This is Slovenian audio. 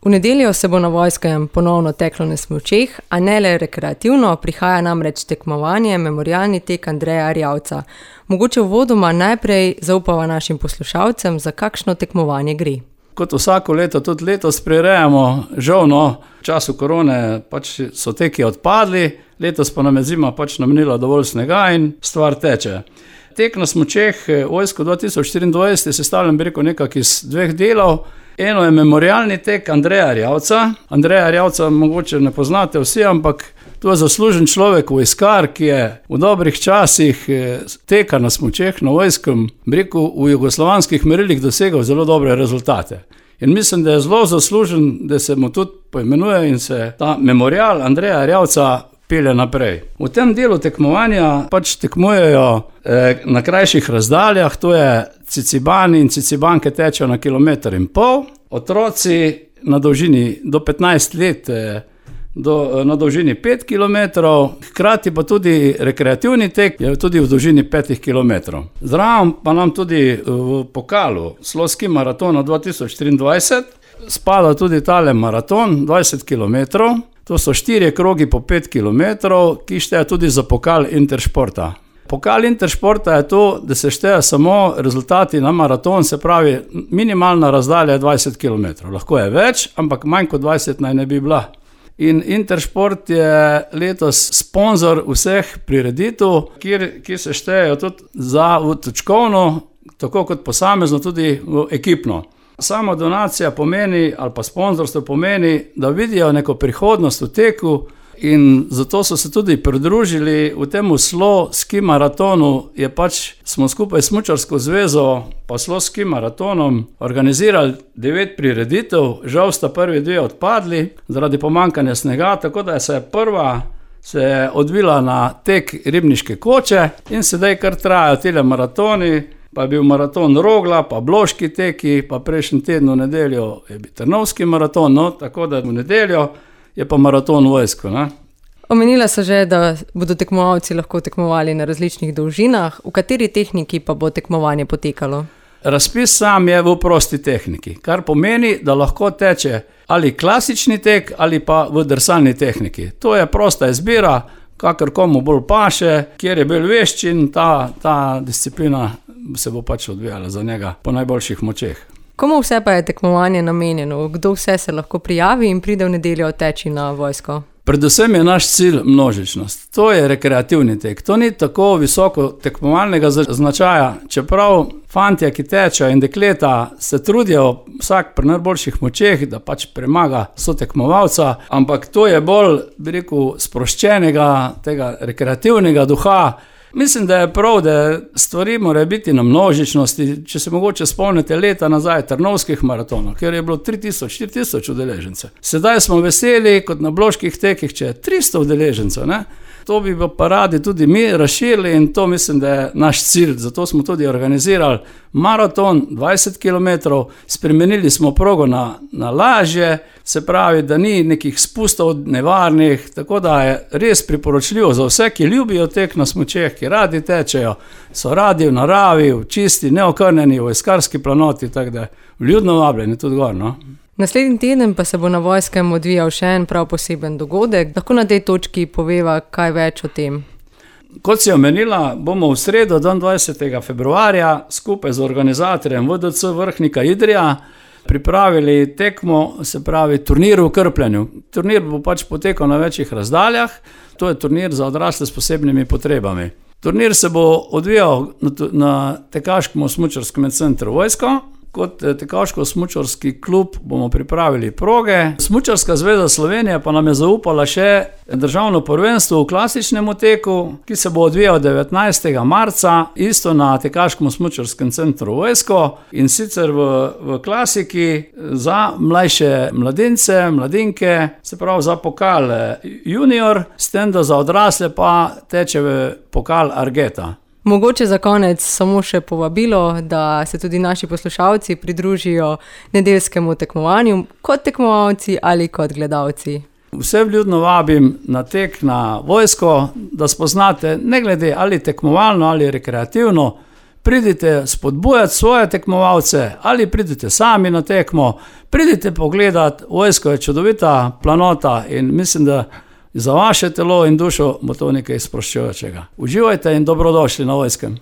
V nedeljo se bo na Vojskem ponovno teklo na smučeh, a ne le rekreativno, prihaja namreč tekmovanje Memorialni tek Andreja Erjavca. Mogoče uvodoma najprej zaupava našim poslušalcem, za kakšno tekmovanje gre. Kot vsako leto, tudi letos prirejamo, žal v času korone so teki odpadli, letos pa nam je zima namenila dovolj snega in stvar teče. Tek na smučeh Vojsko 2024 je sestavljen nekako iz dveh delov. Eno je Memorialni tek Andreja Erjavca. Andreja Erjavca mogoče ne poznate vsi, ampak to je zaslužen človek, vojskar, ki je v dobrih časih teka na smučeh na Vojskem, v jugoslovanskih merilih dosegal zelo dobre rezultate. In mislim, da je zelo zaslužen, da se mu tudi poimenuje in se ta memorial Andreja Erjavca pelje naprej. V tem delu tekmovanja tekmujejo na krajših razdaljah, to je cicibani in cicibanke tečejo na 1,5 km. Otroci na dolžini do 15 let na dolžini 5 km, hkrati pa tudi rekreativni tek je tudi v dolžini 5 km. Zraven pa nam tudi v pokalu Sloski maratona 2023 spada tudi tale maraton 20 km. To so 4 krogi po 5 km, ki šteje tudi za pokal Interšporta. Pokal Interšporta je to, da se šteje samo rezultati na maraton, se pravi minimalna razdalja je 20 km. Lahko je več, ampak manj kot 20 naj ne bi bila. In Interšport je letos sponzor vseh prireditev, ki se štejejo tudi za točkovno, tako kot posamezno, tudi ekipno. Sama donacija pomeni, ali pa sponzorstvo pomeni, da vidijo neko prihodnost v teku in zato so se tudi pridružili v temu Slo ski maratonu. Smo skupaj s Smučarsko zvezo pa Slo ski maratonom organizirali 9 prireditev, žal sta prvi 2 odpadli zaradi pomanjkanja snega, tako da prva se je odvila na tek Ribniške koče in sedaj kar trajajo tile maratoni. Pa je bil maraton Rogla, pa Bloški teki, pa prejšnji teden v nedeljo je bil Trnovski maraton, tako da v nedeljo je pa maraton Vojsko. Omenila so že, da bodo tekmovalci lahko tekmovali na različnih dolžinah, v kateri tehniki pa bo tekmovanje potekalo? Razpis sam je v prosti tehniki, kar pomeni, da lahko teče ali klasični tek ali pa v drsalni tehniki. To je prosta izbira, kakor komu bolj paše, kjer je bolj veščin, ta disciplina se bo odvijala za njega po najboljših močeh. Komu vse pa je tekmovanje namenjeno? Kdo vse se lahko prijavi in pride v nedeljo teči na Vojsko? Predvsem je naš cilj množičnost. To je rekreativni tek. To ni tako visoko tekmovalnega značaja, čeprav fantje, ki tečejo in dekleta se trudijo vsak pri najboljših močeh, da premaga sotekmovalca, ampak to je bolj, sproščenega, tega rekreativnega duha. Mislim, da je prav, da stvari morajo biti na množičnosti. Če se mogoče spomnite leta nazaj Trnovskih maratonov, kjer je bilo 3000-4000 udeležencev. Sedaj smo veseli, kot na Bloških tekih, če je 300 udeležencev. To bi pa radi tudi mi razširili in to mislim, da je naš cilj. Zato smo tudi organizirali maraton 20 km, spremenili smo progo na lažje, se pravi, da ni nekih spustov nevarnih, tako da je res priporočljivo za vse, ki ljubijo tek na smučeh, ki radi tečejo, so radi v naravi, v čisti, neokrnjeni, v vojskarski planoti, tako da vljudno vabljeni tudi gor. Naslednji teden pa se bo na Vojskem odvijal še en prav poseben dogodek. Lahko na tej točki poveva kaj več o tem? Kot si omenila, bomo v sredo, 22. februarja, skupaj z organizatorjem VDC Vrhnika Idrija pripravili tekmo, se pravi turnir v krpljanju. Turnir bo potekal na večjih razdaljah. To je turnir za odrasle s posebnimi potrebami. Turnir se bo odvijal na Tekaškem smučarskem centru Vojsko. Kot tekaško-smučarski klub bomo pripravili proge. Smučarska zveza Slovenije pa nam je zaupala še državno prvenstvo v klasičnem teku, ki se bo odvijal 19. marca, isto na Tekaškem smučarskem centru Vojsko, in sicer v klasiki za mlajše mladince, mladinke, se pravi za pokal junior, s tem, da za odrasle pa teče v pokal Argeta. Mogoče za konec samo še povabilo, da se tudi naši poslušalci pridružijo nedeljskemu tekmovanju kot tekmovalci ali kot gledalci. Vse vljudno vabim na tek na Vojsko, da spoznate, ne glede ali tekmovalno ali rekreativno, pridite spodbujati svoje tekmovalce ali pridite sami na tekmo, pridite pogledati, vojska je čudovita planota in mislim, da za vaše telo in dušo bo to nekaj sproščujočega. Uživajte in dobrodošli na Vojskem.